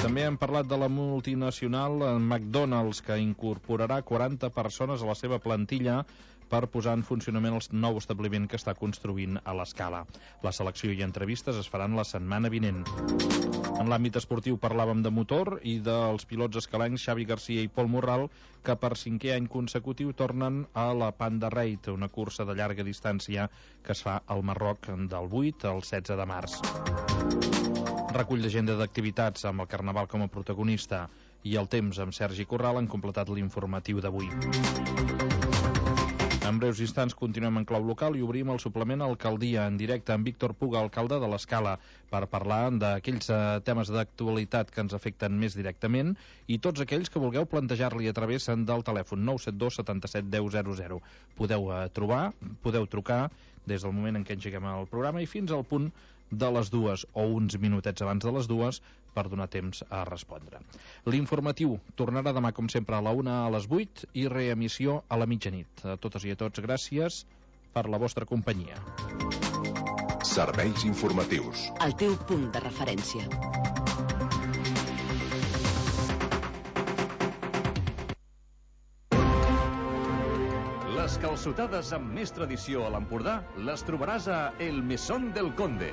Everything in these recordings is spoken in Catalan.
També hem parlat de la multinacional McDonald's, que incorporarà 40 persones a la seva plantilla per posar en funcionament el nou establiment que està construint a l'Escala. La selecció i entrevistes es faran la setmana vinent. En l'àmbit esportiu parlàvem de motor i dels pilots escalencs Xavi Garcia i Pol Morral, que per 5è any consecutiu tornen a la Panda Raid, una cursa de llarga distància que es fa al Marroc del 8 al 16 de març. Recull d'agenda d'activitats amb el Carnaval com a protagonista i el temps amb Sergi Corral han completat l'informatiu d'avui. En breus instants continuem en clau local i obrim el suplement Alcaldia en directe amb Víctor Puga, alcalde de l'Escala, per parlar d'aquells temes d'actualitat que ens afecten més directament i tots aquells que vulgueu plantejar-li a través del telèfon 972 77 10 00. Podeu trucar des del moment en què engeguem el programa i fins al punt de les 2 o uns minutets abans de les 2 per donar temps a respondre. L'informatiu tornarà demà com sempre a la 1 a les 8 i reemissió a la mitjanit. A totes i a tots, gràcies per la vostra companyia. Serveis informatius. El teu punt de referència. Les calçotades amb més tradició a l'Empordà les trobaràs a El Mesón del Conde.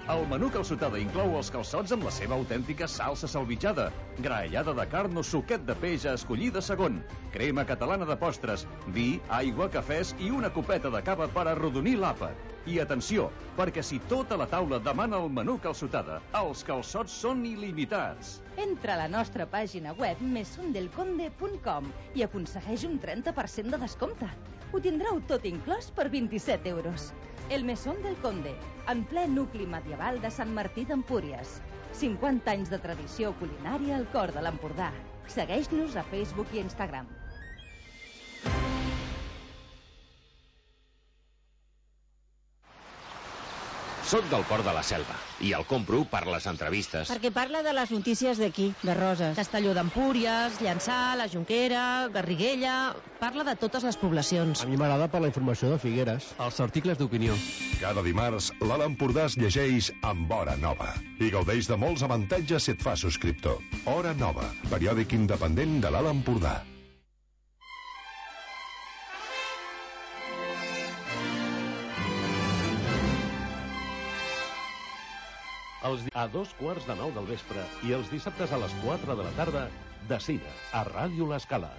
El menú calçotada inclou els calçots amb la seva autèntica salsa salvitjada, graellada de carn o suquet de peix a escollir de segon, crema catalana de postres, vi, aigua, cafès i una copeta de cava per arrodonir l'àpat. I atenció, perquè si tota la taula demana el menú calçotada, els calçots són il·limitats. Entra a la nostra pàgina web mesondelconde.com i aconsegueix un 30% de descompte. Ho tindreu tot inclòs per 27 euros. El Mesón del Conde, en ple nucli medieval de Sant Martí d'Empúries. 50 anys de tradició culinària al cor de l'Empordà. Segueix-nos a Facebook i Instagram. Soc del Port de la Selva i el compro per les entrevistes. Perquè parla de les notícies d'aquí, de Roses. Castelló d'Empúries, Llançà, la Jonquera, Garriguella... Parla de totes les poblacions. A mi m'agrada per la informació de Figueres. Els articles d'opinió. Cada dimarts, l'Alt Empordà es llegeix amb Hora Nova i gaudeix de molts avantatges si et fa subscriptor. Hora Nova, periòdic independent de l'Alt Empordà. A 2:15 del vespre i els dissabtes a les 4 de la tarda, de cine, a Ràdio L'Escala.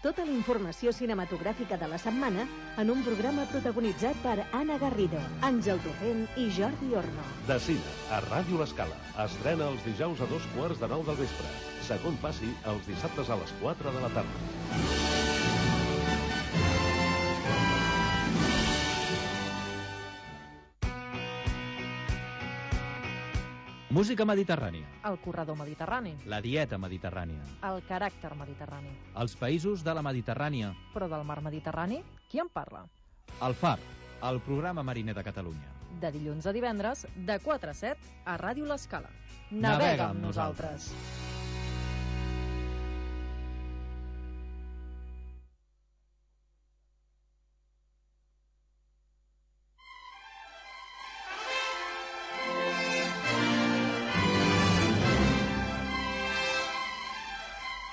Tota la informació cinematogràfica de la setmana en un programa protagonitzat per Anna Garrido, Àngel Torrent i Jordi Orno. De cine, a Ràdio L'Escala. Estrena els dijous a 2:15 del vespre. Segon passi els dissabtes a les 4 de la tarda. Música mediterrània. El corredor mediterrani. La dieta mediterrània. El caràcter mediterrani. Els països de la Mediterrània. Però del mar Mediterrani, qui en parla? El Far, el programa mariner de Catalunya. De dilluns a divendres, de 4 a 7, a Ràdio L'Escala. Navega amb nosaltres.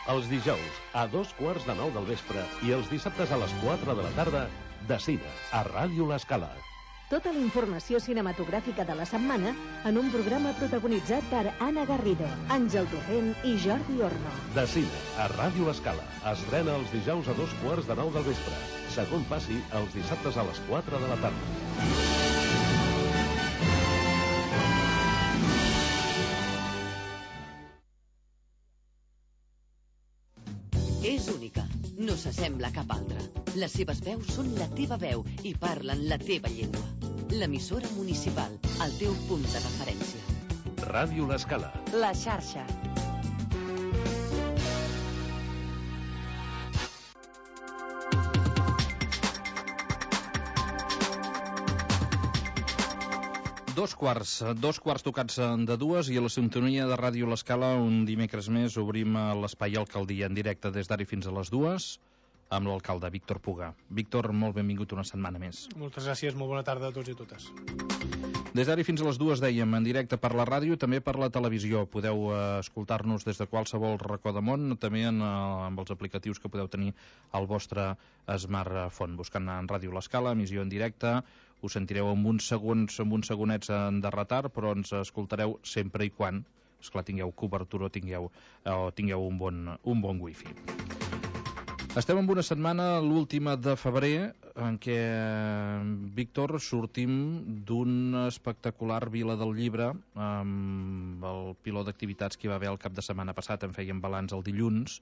Els dijous a 2:15 del vespre i els dissabtes a les 4 de la tarda, de cine, a Ràdio L'Escala. Tota la informació cinematogràfica de la setmana en un programa protagonitzat per Anna Garrido, Àngel Torrent i Jordi Orno. De cine, a Ràdio L'Escala. Estrena els dijous a 2:15 del vespre. Segon passi els dissabtes a les 4 de la tarda. És única, no s'assembla a cap altra. Les seves veus són la teva veu i parlen la teva llengua. L'emissora municipal, el teu punt de referència. Ràdio L'Escala. La xarxa. Dos quarts tocats de 2 i a la sintonia de Ràdio L'Escala un dimecres més obrim l'espai Alcaldia en directe des d'ara fins a les 2 amb l'alcalde Víctor Puga. Víctor, molt benvingut una setmana més. Moltes gràcies, molt bona tarda a tots i a totes. Des d'ara fins a les 2, dèiem, en directe per la ràdio i també per la televisió. Podeu escoltar-nos des de qualsevol racó de món, també amb els aplicatius que podeu tenir al vostre smartphone. Buscant en Ràdio L'Escala, emissió en directe, us sentireu amb uns segonets de retard, però ens escoltareu sempre i quan, esclar, tingueu cobertura o tingueu un bon wifi. Estem en una setmana, l'última de febrer, en què, Víctor, sortim d'una espectacular Vila del Llibre, amb el piló d'activitats que hi va haver el cap de setmana passat. En fèiem balanç el dilluns,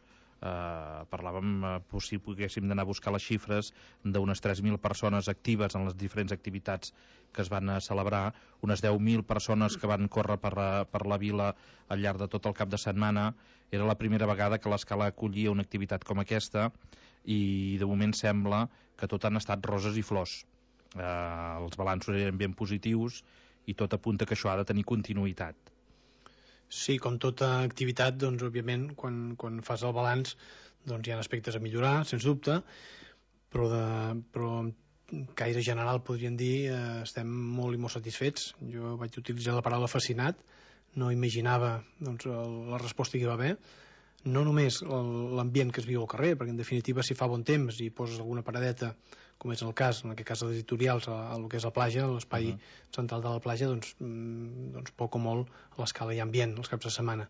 parlàvem, si poguéssim d'anar a buscar les xifres d'unes 3.000 persones actives en les diferents activitats que es van celebrar, unes 10.000 persones que van córrer per la vila al llarg de tot el cap de setmana. Era la primera vegada que l'Escala acollia una activitat com aquesta i de moment sembla que tot han estat roses i flors. Els balanços eren ben positius i tot apunta que això ha de tenir continuïtat. Sí, com tota activitat, doncs, òbviament, quan fas el balanç, doncs hi ha aspectes a millorar, sens dubte, però en caire general, podríem dir, estem molt i molt satisfets. Jo vaig utilitzar la paraula fascinat, no imaginava doncs, la resposta que hi va haver, no només l'ambient que es viu al carrer, perquè en definitiva si fa bon temps i poses alguna paradeta, com és el cas, en aquest cas els editorials, el que és la platja, l'espai central de la platja, doncs poc o molt a l'Escala hi ha ambient els caps de setmana.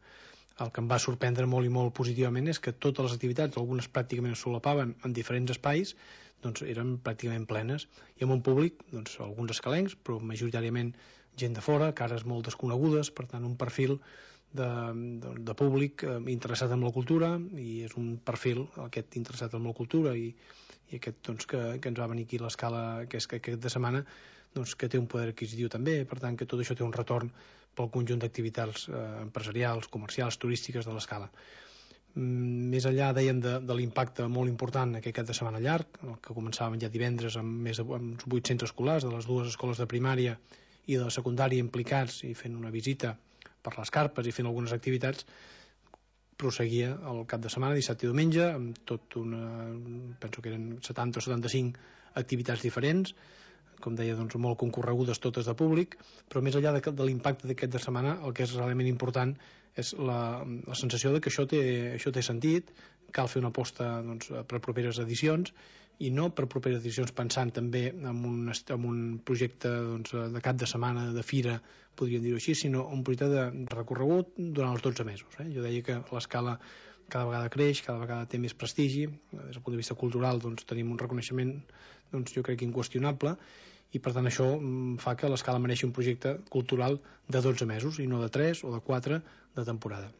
El que em va sorprendre molt i molt positivament és que totes les activitats, algunes pràcticament es solapaven en diferents espais, doncs eren pràcticament plenes, i amb un públic, doncs alguns escalencs, però majoritàriament gent de fora, cares molt desconegudes, per tant un perfil de públic interessat en la cultura, i és un perfil aquest interessat en la cultura i aquest doncs, que ens va venir aquí a l'Escala aquest de setmana, doncs, que té un poder adquisitiu també, per tant que tot això té un retorn pel conjunt d'activitats empresarials, comercials, turístiques de l'Escala. Més enllà, dèiem, de l'impacte molt important aquest cap de setmana llarg, el que començàvem ja divendres amb més de 800 escolars de les dues escoles de primària i de la secundària implicats i fent una visita per les carpes i fent algunes activitats, prosseguia el cap de setmana, dissabte i diumenge, amb tot penso que eren 70 o 75 activitats diferents, com deia, doncs, molt concorregudes totes de públic, però més enllà de l'impacte d'aquest de setmana, el que és realment important és la sensació de que això té sentit, cal fer una aposta doncs, per properes edicions, i no per properes edicions pensant també en un projecte doncs, de cap de setmana, de fira, podríem dir-ho així, sinó un projecte de recorregut durant els 12 mesos. Jo deia que l'Escala cada vegada creix, cada vegada té més prestigi, des del punt de vista cultural doncs, tenim un reconeixement doncs, jo crec inqüestionable, i per tant això fa que l'Escala mereixi un projecte cultural de 12 mesos i no de 3 o de 4 de temporada.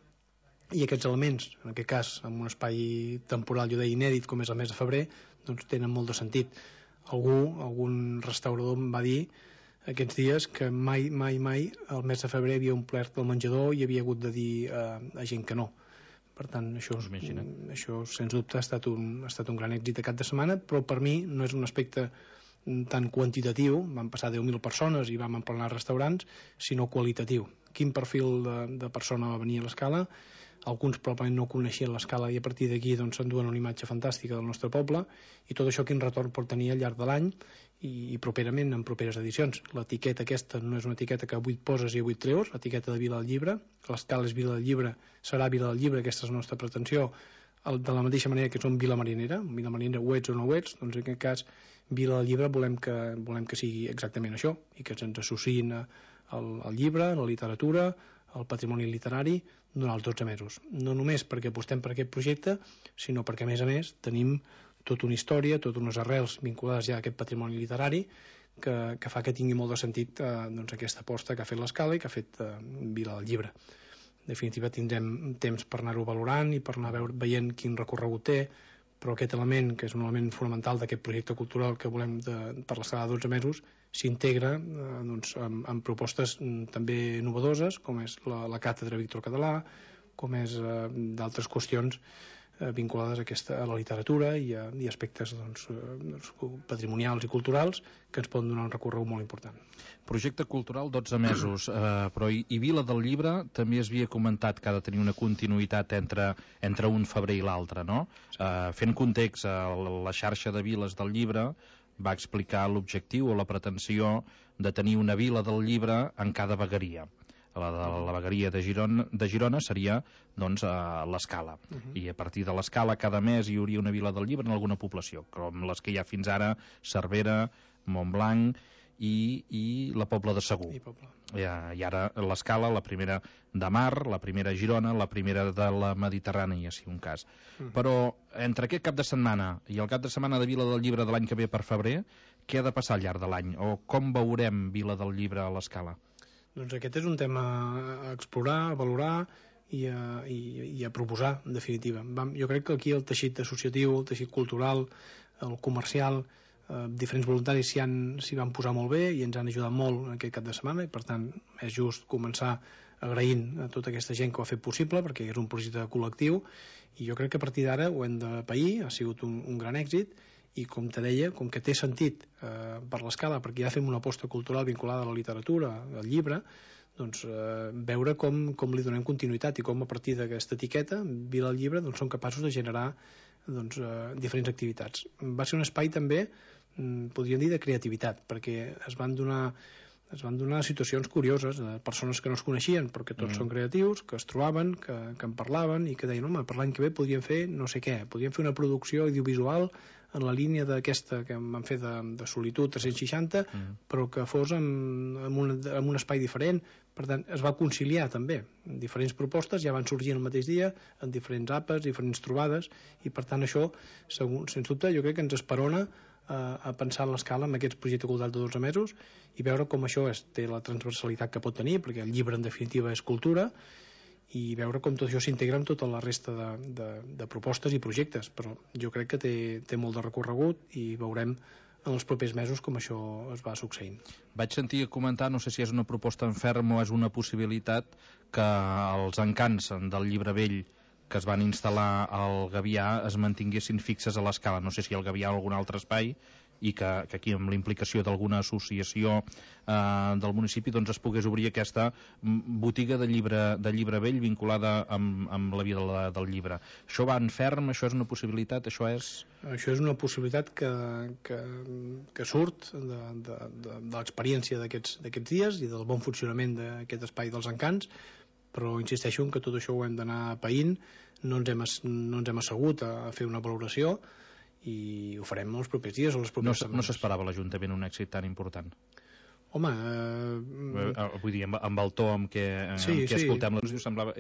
I aquests elements, en aquest cas en un espai temporal, jo deia inèdit, com és el mes de febrer, doncs tenen molt de sentit. Algun restaurador em va dir aquests dies que mai el mes de febrer havia omplert el menjador i havia hagut de dir a gent que no. Per tant, això sens dubte ha estat un gran èxit de cap de setmana, però per mi no és un aspecte tan quantitatiu, van passar 10.000 persones i vam emplenar restaurants, sinó qualitatiu. Quin perfil de persona va venir a l'Escala? Alguns probablement no coneixien l'Escala i a partir d'aquí doncs, s'enduen una imatge fantàstica del nostre poble, i tot això quin retorn pot tenir al llarg de l'any i properament en properes edicions. L'etiqueta aquesta no és una etiqueta que avui et poses i avui et treus, l'etiqueta de Vila del Llibre, l'Escala és Vila del Llibre, serà Vila del Llibre, aquesta és la nostra pretensió, de la mateixa manera que som Vila Marinera ho ets o no ho ets, doncs en aquest cas Vila del Llibre volem que sigui exactament això, i que ens associïn al llibre, a la literatura, al patrimoni literari durant els 12 mesos. No només perquè apostem per aquest projecte, sinó perquè, a més, tenim tota una història, totes unes arrels vinculades ja a aquest patrimoni literari que fa que tingui molt de sentit doncs, aquesta aposta que ha fet l'Escala i que ha fet Vila del Llibre. En definitiva, tindrem temps per anar-ho valorant i per anar veient quin recorregut té, però aquest element, que és un element fonamental d'aquest projecte cultural que volem per l'Escala de 12 mesos, s'integra doncs, en propostes també novedoses, com és la càtedra Víctor Català, com és d'altres qüestions vinculades a la literatura i aspectes doncs, patrimonials i culturals que ens poden donar un recorregut molt important. Projecte cultural 12 mesos, però i Vila del Llibre també es havia comentat que ha de tenir una continuïtat entre un febrer i l'altre, no? Fent context a la xarxa de viles del llibre, va explicar l'objectiu o la pretensió de tenir una vila del llibre en cada vegueria. La vegueria de Girona seria doncs l'Escala, i a partir de l'Escala cada mes hi hauria una vila del llibre en alguna població, com les que hi ha fins ara: Cervera, Montblanc i la Pobla de Segur. I ara l'Escala, la primera de Mar, la primera a Girona, la primera de la Mediterrània, si un cas. Però entre aquest cap de setmana i el cap de setmana de Vila del Llibre de l'any que ve per febrer, què ha de passar al llarg de l'any? O com veurem Vila del Llibre a l'Escala? Doncs aquest és un tema a explorar, a valorar i a proposar, en definitiva. Jo crec que aquí el teixit associatiu, el teixit cultural, el comercial, diferents voluntaris s'hi van posar molt bé i ens han ajudat molt en aquest cap de setmana, i per tant és just començar agraint a tota aquesta gent que ho ha fet possible, perquè és un projecte col·lectiu, i jo crec que a partir d'ara ho hem de pair. Ha sigut un gran èxit, i com te deia, com que té sentit per l'Escala, perquè ja fem una aposta cultural vinculada a la literatura, al llibre, doncs veure com li donem continuïtat i com a partir d'aquesta etiqueta, Vila del Llibre, doncs, som capaços de generar diferents activitats. Va ser un espai també, podríem dir, de creativitat, perquè es van donar situacions curioses de persones que no es coneixien, però que tots són creatius, que es trobaven, que en parlaven i que deien: home, per l'any que ve podríem fer no sé què, podríem fer una producció audiovisual en la línia d'aquesta que vam fer de Solitud 360, però que fos en un espai diferent. Per tant, es va conciliar també diferents propostes, ja van sorgir el mateix dia en diferents àpats, diferents trobades, i per tant això, sens dubte, jo crec que ens esperona a pensar en l'Escala amb aquest projecte cultural de 12 mesos i veure com això té la transversalitat que pot tenir, perquè el llibre en definitiva és cultura, i veure com tot això s'integra amb tota la resta de propostes i projectes. Però jo crec que té molt de recorregut i veurem en els propers mesos com això es va succeint. Vaig sentir comentar, no sé si és una proposta en ferm o és una possibilitat, que els encants del llibre vell que es van instal·lar al Gavià es mantinguessin fixes a l'Escala. No sé si al Gavià o algun altre espai, i que aquí amb la implicació d'alguna associació del municipi doncs es pogués obrir aquesta botiga de llibre vell vinculada amb la vida del llibre. Això va en ferm? Això és una possibilitat? Això és una possibilitat que surt de l'experiència d'aquests dies i del bon funcionament d'aquest espai dels encants, però insisteixo en que tot això ho hem d'anar paint. No ens hem assegut a fer una valoració, i ho farem els propers dies o les properes setmanes. No s'esperava l'Ajuntament un èxit tan important? Home... vull dir, amb el to amb què escoltem la música semblava...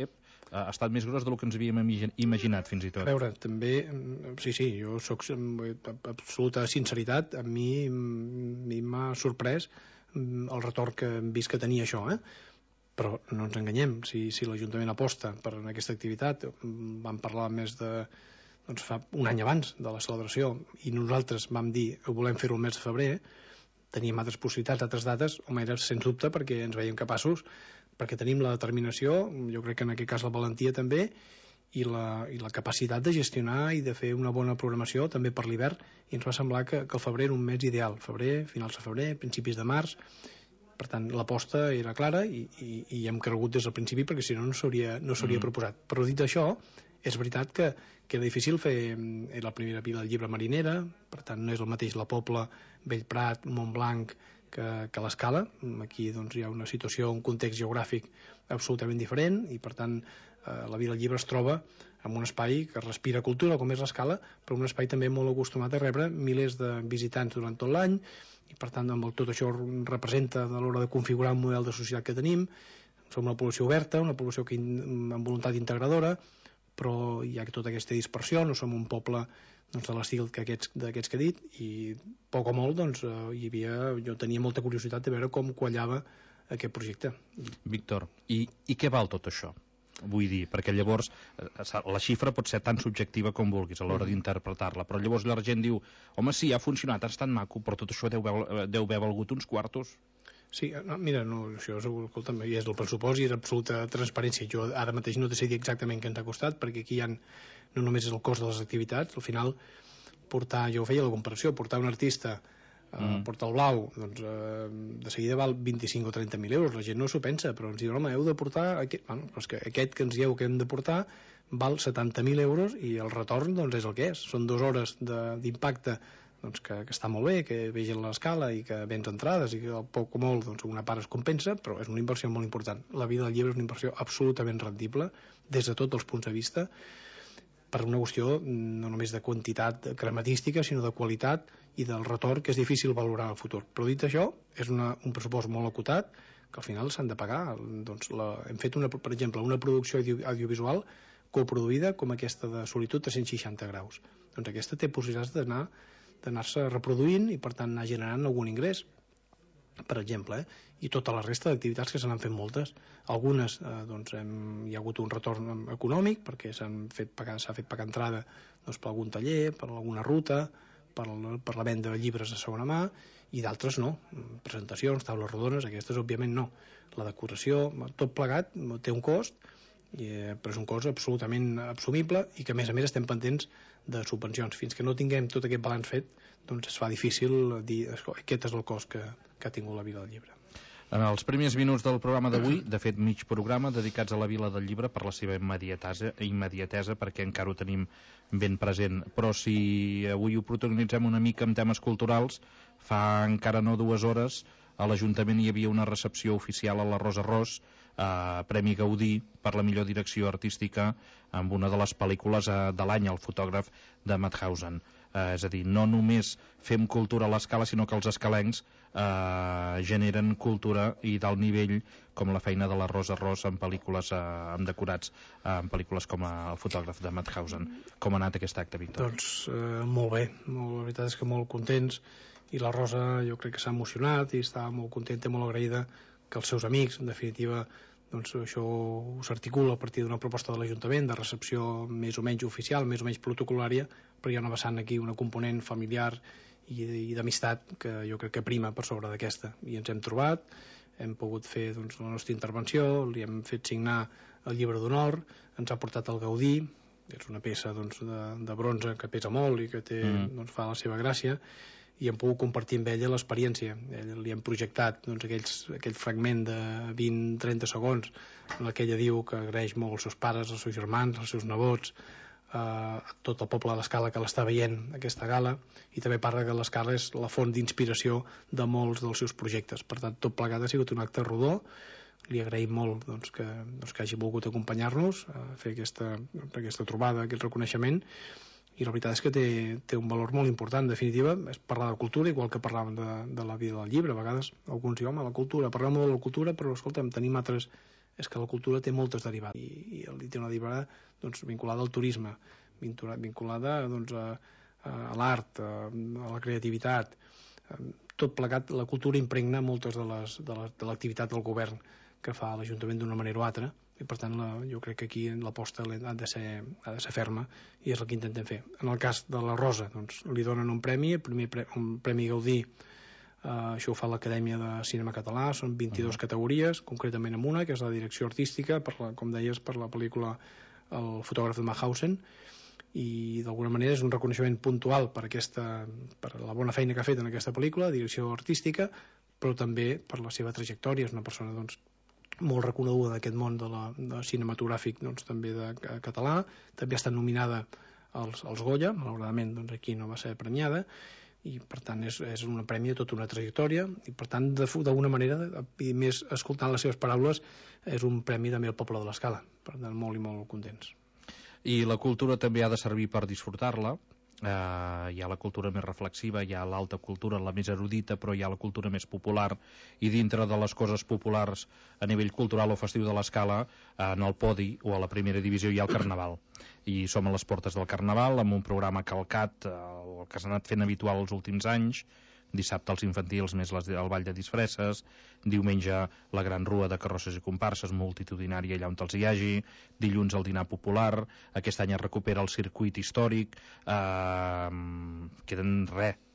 ha estat més gros del que ens havíem imaginat, fins i tot. A veure, també... Sí, jo soc amb absoluta sinceritat. A mi m'ha sorprès el retorn que hem vist que tenia això, però no ens enganyem. Si l'Ajuntament aposta per aquesta activitat, vam parlar més de... fa un any abans de la celebració, i nosaltres vam dir que volem fer-ho el mes de febrer, teníem altres possibilitats, altres dates, home, era sens dubte perquè ens veiem capaços, perquè tenim la determinació, jo crec que en aquest cas la valentia també, i la capacitat de gestionar i de fer una bona programació també per l'hivern, i ens va semblar que el febrer era un mes ideal, finals de febrer, principis de març. Per tant, l'aposta era clara i hem cregut des del principi, perquè si no s'hauria proposat. Però dit això, és veritat que era difícil fer... Era la primera vila del llibre marinera, per tant no és el mateix la Pobla, Bellprat, Montblanc que l'Escala. Aquí doncs, hi ha una situació, un context geogràfic absolutament diferent, i per tant la vila del llibre es troba en un espai que respira cultura, com és l'Escala, però un espai també molt acostumat a rebre milers de visitants durant tot l'any, i per tant tot això representa a l'hora de configurar un model de societat que tenim. Som una població oberta, una població amb voluntat integradora, però hi ha tota aquesta dispersió, no som un poble de l'estil d'aquests que he dit, i poc o molt jo tenia molta curiositat de veure com quallava aquest projecte. Víctor, i què val tot això? Vull dir, perquè llavors la xifra pot ser tan subjectiva com vulguis a l'hora d'interpretar-la, però llavors la gent diu: home, sí, ha funcionat, ha estat maco, però tot això deu haver valgut uns quartos. Sí, mira, això escolta'm, és el pressupost i és absoluta transparència. Jo ara mateix no te sé dir exactament què ens ha costat, perquè aquí no només és el cost de les activitats, al final jo ho feia la comparació, portar un artista a Portal Blau, doncs de seguida val 25 o 30.000 euros, la gent no s'ho pensa, però ens diuen: home, heu de portar doncs que aquest que ens dieu que hem de portar val 70.000 euros i el retorn doncs és el que és, són 2 hores d'impacte doncs, que està molt bé, que vegin l'escala i que vens entrades i que poc o molt una part es compensa, però és una inversió molt important. La vida del llibre és una inversió absolutament rendible des de tots els punts de vista, per una qüestió no només de quantitat crematística, sinó de qualitat i del retorn, que és difícil valorar en el futur. Però dit això, és un pressupost molt acotat, que al final s'han de pagar. Doncs hem fet, per exemple, una producció audiovisual coproduïda com aquesta de Solitud 360 graus. Doncs aquesta té possibilitats d'anar-se reproduint i per tant anar generant algun ingrés, per exemple, i tota la resta d'activitats que se n'han fet moltes. Algunes hi ha hagut un retorn econòmic perquè s'ha fet pagar entrada per algun taller, per alguna ruta, per la venda de llibres de segona mà, i d'altres no, presentacions, taules rodones, aquestes òbviament no. La decoració, tot plegat té un cost, però és un cost absolutament assumible i que a més estem pendents de subvencions. Fins que no tinguem tot aquest balanç fet, doncs es fa difícil dir aquest és el cost que ha tingut la Vila del Llibre. En els primers minuts del programa d'avui, de fet mig programa, dedicats a la Vila del Llibre per la seva immediatesa, perquè encara ho tenim ben present. Però si avui ho protagonitzem una mica amb temes culturals, fa encara no 2 hores a l'Ajuntament hi havia una recepció oficial a la Rosa Ros, Premi Gaudí per la millor direcció artística amb una de les pel·lícules de l'any, el fotògraf de Mauthausen. És a dir, no només fem cultura a l'Escala, sinó que els escalencs generen cultura i d'alt nivell, com la feina de la Rosa Ros en pel·lícules amb decorats, en pel·lícules com el fotògraf de Mauthausen. Com ha anat aquest acte, Víctor? Doncs molt bé, la veritat és que molt contents, i la Rosa jo crec que s'ha emocionat i està molt contenta i molt agraïda que els seus amics, en definitiva, doncs això s'articula a partir d'una proposta de l'Ajuntament de recepció més o menys oficial, més o menys protocolària, però hi ha una vessant aquí, una component familiar i d'amistat que jo crec que prima per sobre d'aquesta. I ens hem trobat, hem pogut fer la nostra intervenció, li hem fet signar el llibre d'honor, ens ha portat el Gaudí, és una peça de bronze que pesa molt i que fa la seva gràcia, i hem pogut compartir amb ella l'experiència. Li hem projectat aquell fragment de 20-30 segons en què ella diu que agraeix molt als seus pares, als seus germans, als seus nebots, a tot el poble de l'Escala que l'està veient aquesta gala, i també parla que l'Escala és la font d'inspiració de molts dels seus projectes. Per tant, tot plegat ha sigut un acte rodó. Li agraïm molt que hagi volgut acompanyar-nos a fer aquesta trobada, aquest reconeixement, i la veritat és que té un valor molt important. En definitiva, és parlar de cultura, igual que parlàvem de la vida del llibre. A vegades alguns diuen, la cultura, parlem molt de la cultura, però escolta'm, tenim altres... És que la cultura té moltes derivades, i té una derivada vinculada al turisme, vinculada a l'art, a la creativitat. Tot plegat, la cultura impregna moltes de l'activitat del govern que fa l'Ajuntament d'una manera o altra, i per tant jo crec que aquí l'aposta ha de ser ferma, i és el que intentem fer. En el cas de la Rosa, li donen un premi, un premi Gaudí. Això ho fa l'Acadèmia de Cinema Català, són 22 categories, concretament en una, que és la direcció artística, com deies, per la pel·lícula El fotògraf de Mauthausen, i d'alguna manera és un reconeixement puntual per la bona feina que ha fet en aquesta pel·lícula, direcció artística, però també per la seva trajectòria. És una persona molt reconeguda d'aquest món de cinematogràfic, també de català. També ha estat nominada als Goya, malauradament aquí no va ser premiada, i per tant és un premi de tota una trajectòria, i per tant d'alguna manera, i més escoltant les seves paraules, és un premi també al poble de l'Escala. Per tant, molt i molt contents. I la cultura també ha de servir per disfrutar-la. Hi ha la cultura més reflexiva, hi ha l'alta cultura, la més erudita, però hi ha la cultura més popular, i dintre de les coses populars a nivell cultural o festiu de l'Escala, en el podi o a la primera divisió hi ha el Carnaval, i som a les portes del Carnaval amb un programa calcat, el que s'ha anat fent habitual els últims anys. Dissabte els infantils més el ball de disfresses, diumenge la gran rua de carrosses i comparses multitudinària allà on els hi hagi, dilluns el dinar popular, aquest any es recupera el circuit històric, queden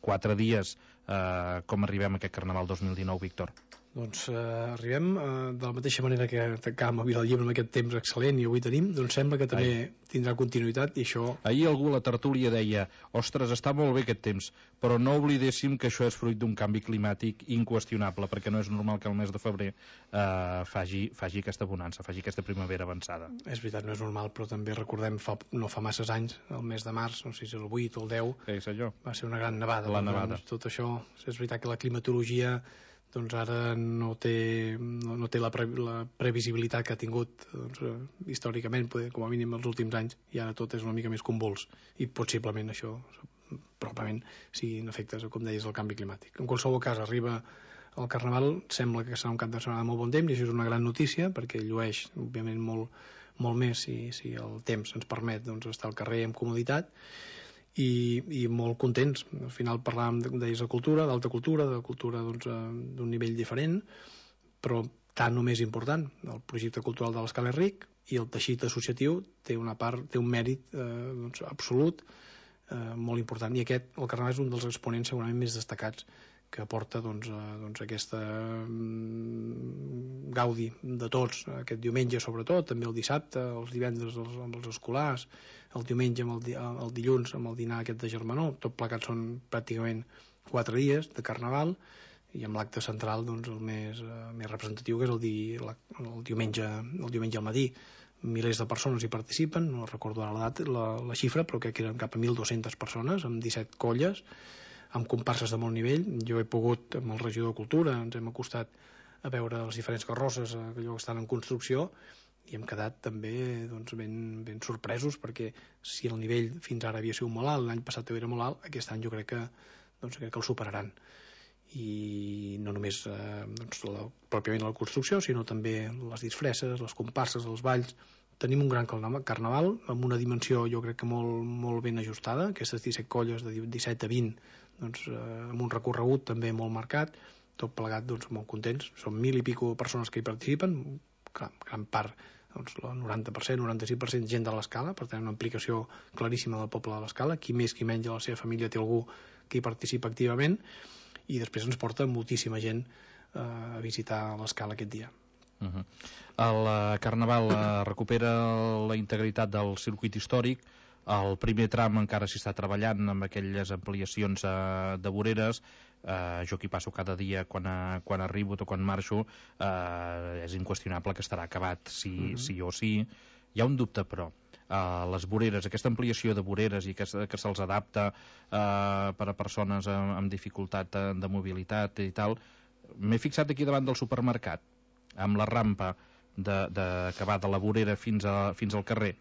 4 dies. Com arribem a aquest Carnaval 2019, Víctor? Doncs arribem de la mateixa manera que tancàvem a Vilallibre amb aquest temps excel·lent i avui tenim, doncs sembla que també tindrà continuïtat i això... Ahir algú a la tertúlia deia ostres, està molt bé aquest temps, però no oblidéssim que això és fruit d'un canvi climàtic inqüestionable, perquè no és normal que el mes de febrer faci aquesta bonança, faci aquesta primavera avançada. És veritat, no és normal, però també recordem no fa masses anys, el mes de març, no sé si és el 8 o el 10, va ser una gran nevada. La nevada. Tot això, és veritat que la climatologia doncs ara no té la previsibilitat que ha tingut històricament, com a mínim els últims anys, i ara tot és una mica més convuls, i possiblement això probablement siguin efectes, com deies, del canvi climàtic. En qualsevol cas, arriba el Carnaval, sembla que serà un cap de setmana de molt bon temps, i això és una gran notícia, perquè llueix, òbviament, molt més si el temps ens permet estar al carrer amb comoditat, i molt contents. Al final parlàvem d'alta cultura, d'un nivell diferent, però tant o més important. El projecte cultural de l'Escala és ric i el teixit associatiu té un mèrit absolut molt important, i el Carnaval és un dels exponents segurament més destacats que aporta aquesta gaudi de tots aquest diumenge, sobretot, també el dissabte, els divendres amb els escolars, el diumenge, el dilluns amb el dinar aquest de germanor. Tot plegat són pràcticament 4 dies de Carnaval, i amb l'acte central el més representatiu, que és el diumenge al matí. Milers de persones hi participen, no recordo ara la xifra, però crec que eren cap a 1.200 persones amb 17 colles, amb comparses de molt nivell. Jo he pogut, amb el regidor de Cultura, ens hem acostat a veure les diferents carrosses que estan en construcció, i hem quedat també ben sorpresos, perquè si el nivell fins ara havia sigut molt alt, l'any passat era molt alt, aquest any jo crec que el superaran. I no només pròpiament la construcció, sinó també les disfresses, les comparses, els balls. Tenim un gran carnaval amb una dimensió jo crec que molt ben ajustada, aquestes 17 colles de 17 a 20, amb un recorregut també molt marcat, tot plegat molt contents. Són 1.000 i pico persones que hi participen, gran part, el 90%, 96% gent de l'Escala, per tant una implicació claríssima del poble de l'Escala, qui més qui menys a la seva família té algú que hi participa activament, i després ens porta moltíssima gent a visitar l'Escala aquest dia. El Carnaval recupera la integritat del circuit històric. El primer tram encara s'hi està treballant amb aquelles ampliacions de voreres. Jo que hi passo cada dia quan arribo o quan marxo, és inqüestionable que estarà acabat sí o sí. Hi ha un dubte, però les voreres, aquesta ampliació de voreres i que se'ls adapta per a persones amb dificultat de mobilitat i tal, m'he fixat aquí davant del supermercat, amb la rampa que va de la vorera fins al carrer,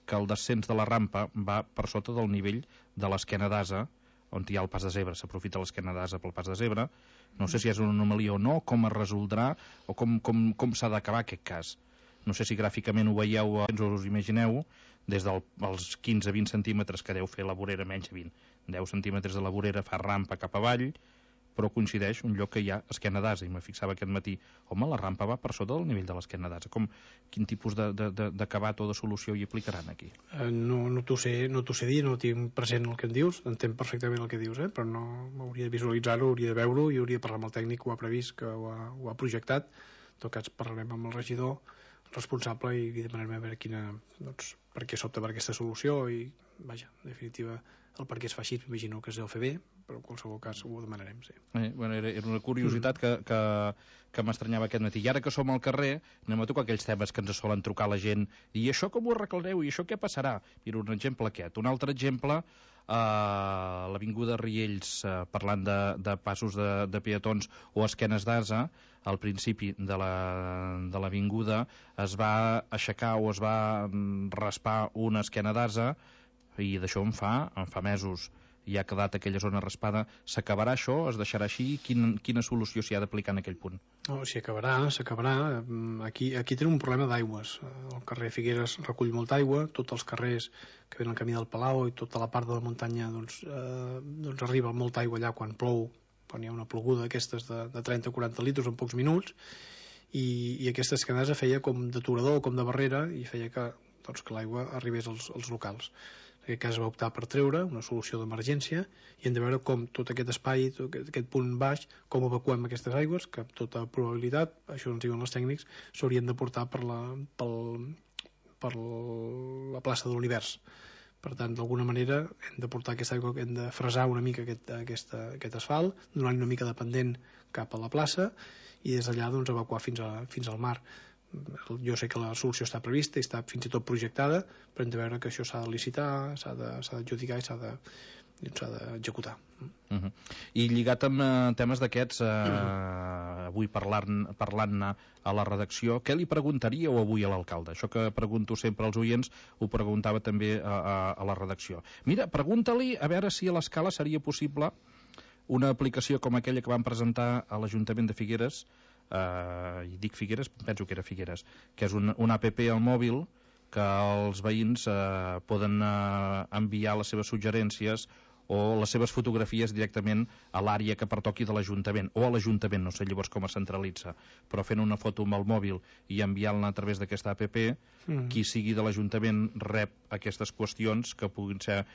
que el descens de la rampa va per sota del nivell de l'esquena d'asa, on hi ha el pas de zebra, s'aprofita l'esquena d'asa pel pas de zebra. No sé si és una anomalia o no, com es resoldrà o com s'ha d'acabar aquest cas. No sé si gràficament ho veieu o us imagineu, des dels 15-20 centímetres que deu fer la vorera, menys de 20, 10 centímetres de la vorera fa rampa cap avall, però coincideix un lloc que hi ha esquena d'asa, i me fixava aquest matí, home, la rampa va per sota del nivell de l'esquena d'asa. Quin tipus d'acabat o de solució hi aplicaran aquí? No t'ho sé dir, no tinc present el que em dius, entenc perfectament el que dius, però no hauria de visualitzar-ho, hauria de veure-ho, i hauria de parlar amb el tècnic que ho ha previst, que ho ha projectat. En tot cas parlarem amb el regidor responsable i li demanarem a veure per què s'opta per aquesta solució, i vaja, en definitiva el per què es fa així, m'imagino que es deu fer bé, però en qualsevol cas ho demanarem, sí. Era una curiositat que m'estranyava aquest matí. I ara que som al carrer, anem a tocar aquells temes que ens solen trucar la gent, i això com ho arreglareu, i això què passarà? Mira, un exemple aquest. Un altre exemple, l'avinguda Riells, parlant de passos de peatons o esquenes d'asa, al principi de l'avinguda es va aixecar o es va raspar una esquena d'asa, i d'això en fa mesos. I ha quedat aquella zona raspada. S'acabarà això? Es deixarà així? Quina solució s'hi ha d'aplicar en aquell punt? No, s'hi acabarà. Aquí tenim un problema d'aigües. El carrer Figueres recull molta aigua, tots els carrers que venen al camí del Palau i tota la part de la muntanya arriba molta aigua allà quan plou, quan hi ha una ploguda d'aquestes de 30 o 40 litres en pocs minuts, i aquesta esquenesa feia com d'aturador, com de barrera, i feia que l'aigua arribés als locals. En aquest cas es va optar per treure una solució d'emergència i hem de veure com tot aquest espai, tot aquest punt baix, com evacuem aquestes aigües, que amb tota probabilitat, això ens diuen els tècnics, s'haurien de portar per la plaça de l'Univers. Per tant, d'alguna manera hem de portar aquesta aigua, hem de fresar una mica aquest asfalt, donant una mica de pendent cap a la plaça i des d'allà doncs, evacuar fins al mar. Jo sé que la solució està prevista i està fins i tot projectada, però hem de veure que això s'ha de licitar, s'ha d'adjudicar i s'ha d'executar. I lligat amb temes d'aquests, avui parlant-ne a la redacció, què li preguntaríeu avui a l'alcalde? Això que pregunto sempre als oients ho preguntava també a la redacció. Mira, pregunta-li a veure si a l'escala seria possible una aplicació com aquella que van presentar a l'Ajuntament de Figueres, i dic Figueres, penso que era Figueres, que és una app al mòbil que els veïns poden enviar les seves suggerències o les seves fotografies directament a l'àrea que pertoqui de l'Ajuntament, o a l'Ajuntament, no sé llavors com es centralitza, però fent una foto amb el mòbil i enviant-la a través d'aquesta app, qui sigui de l'Ajuntament rep aquestes qüestions que puguin ser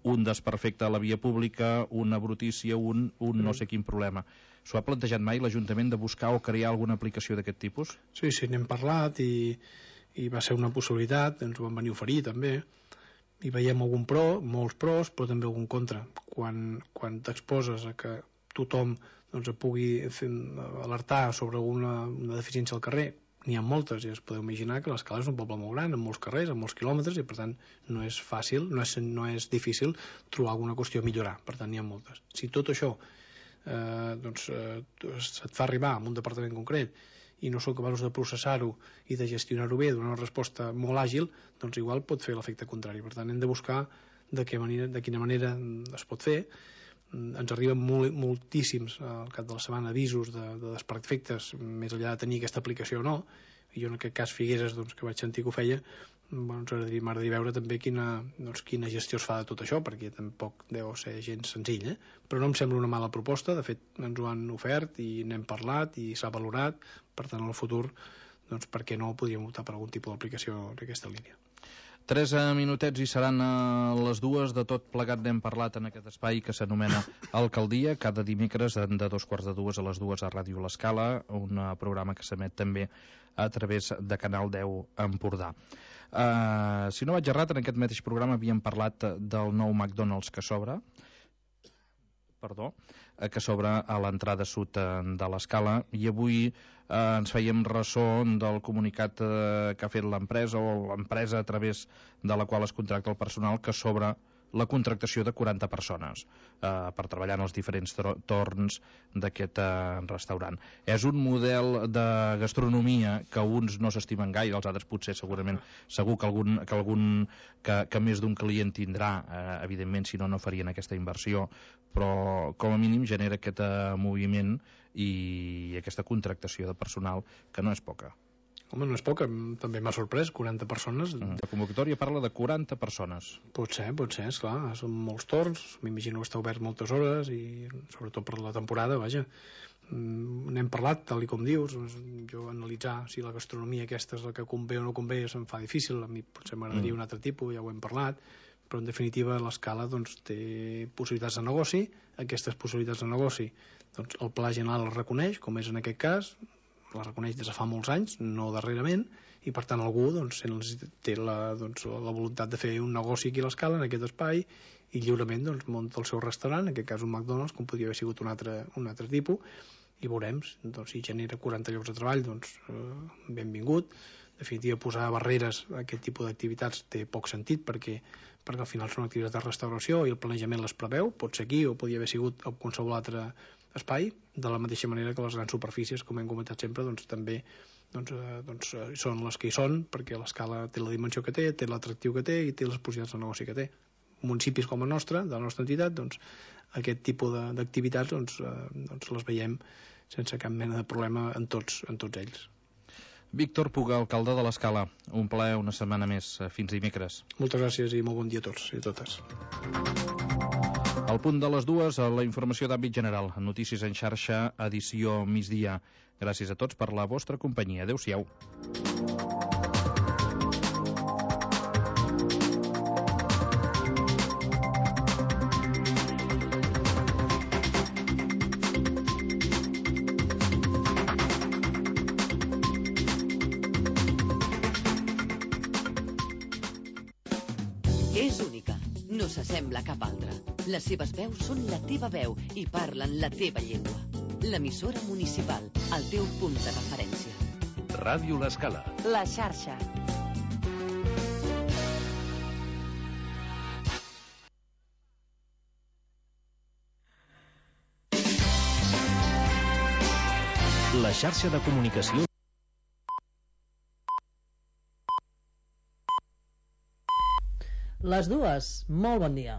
un desperfecte a la via pública, una brutícia, un no sé quin problema. S'ho ha plantejat mai l'Ajuntament de buscar o crear alguna aplicació d'aquest tipus? Sí, n'hem parlat i va ser una possibilitat, ens ho van venir a oferir també, i veiem algun pro, molts pros, però també algun contra. Quan t'exposes a que tothom doncs, pugui alertar sobre alguna deficiència al carrer, n'hi ha moltes, i es podeu imaginar que l'Escala és un poble molt gran, amb molts carrers, amb molts quilòmetres, i per tant no és fàcil, no és difícil trobar alguna qüestió a millorar, per tant n'hi ha moltes. Si tot això se't fa arribar a un departament concret i no són capaços de processar-ho i de gestionar-ho bé, donar una resposta molt àgil, doncs igual pot fer l'efecte contrari. Per tant, hem de buscar de quina manera es pot fer. Ens arriben moltíssims al cap de la setmana avisos de desperfectes, més enllà de tenir aquesta aplicació o no, i jo en aquest cas Figueres, que vaig sentir que ho feia, m'agradaria veure també quina gestió es fa de tot això, perquè tampoc deu ser gens senzill, però no em sembla una mala proposta. De fet ens ho han ofert i n'hem parlat i s'ha valorat, per tant en el futur per què no podríem optar per algun tipus d'aplicació d'aquesta línia. 3 minutets i seran les 2 de tot plegat. N'hem parlat en aquest espai que s'anomena Alcaldia, cada dimecres de 2:15 a les 2 a Ràdio L'Escala, un programa que s'emet també a través de Canal 10 Empordà. Si no vaig errat, en aquest mateix programa havíem parlat del nou McDonald's que s'obre a l'entrada sud de l'Escala, i avui ens fèiem ressò del comunicat que ha fet l'empresa o l'empresa a través de la qual es contracta el personal, que s'obre la contractació de 40 persones per treballar en els diferents torns d'aquest restaurant. És un model de gastronomia que uns no s'estimen gaire, els altres potser segurament, segur que més d'un client tindrà, evidentment, si no farien aquesta inversió, però com a mínim genera aquest moviment i aquesta contractació de personal que no és poca. Home, no és poca, també m'ha sorprès, 40 persones. La convocatòria parla de 40 persones. Pot ser, esclar, són molts torns, m'imagino que està obert moltes hores i sobretot per la temporada, vaja. N'hem parlat, tal com dius, jo analitzar si la gastronomia aquesta és la que convé o no convé se'm fa difícil, a mi potser m'agradaria un altre tipus, ja ho hem parlat, però en definitiva l'Escala té possibilitats de negoci, aquestes possibilitats de negoci el Pla General les reconeix, com és en aquest cas, la reconeix des de fa molts anys, no darrerament, i per tant algú té la voluntat de fer un negoci aquí a l'Escala, en aquest espai, i lliurement munta el seu restaurant, en aquest cas un McDonald's, com podria haver sigut un altre tipus, i veurem si genera 40 llocs de treball, benvingut. En definitiva, posar barreres a aquest tipus d'activitats té poc sentit, perquè al final són activitats de restauració i el planejament les preveu, pot ser aquí o podria haver sigut a qualsevol altre espai, de la mateixa manera que les grans superfícies, com hem comentat sempre, també són les que hi són, perquè l'Escala té la dimensió que té l'atractiu que té i té les possibilitats de negoci que té. Municipis com el nostre, de la nostra entitat, aquest tipus d'activitats les veiem sense cap mena de problema en tots ells. Víctor Puga, alcalde de l'Escala, un plaer una setmana més. Fins dimecres. Moltes gràcies i molt bon dia a tots i a totes. Al punt de les 2, la informació d'àmbit general. Notícies en xarxa, edició migdia. Gràcies a tots per la vostra companyia. Adéu-siau. És única, no s'assembla a cap altra. Les seves veus són la teva veu i parlen la teva llengua. L'emissora municipal, el teu punt de referència. Ràdio L'Escala. La xarxa. La xarxa de comunicació. Les dues, molt bon dia.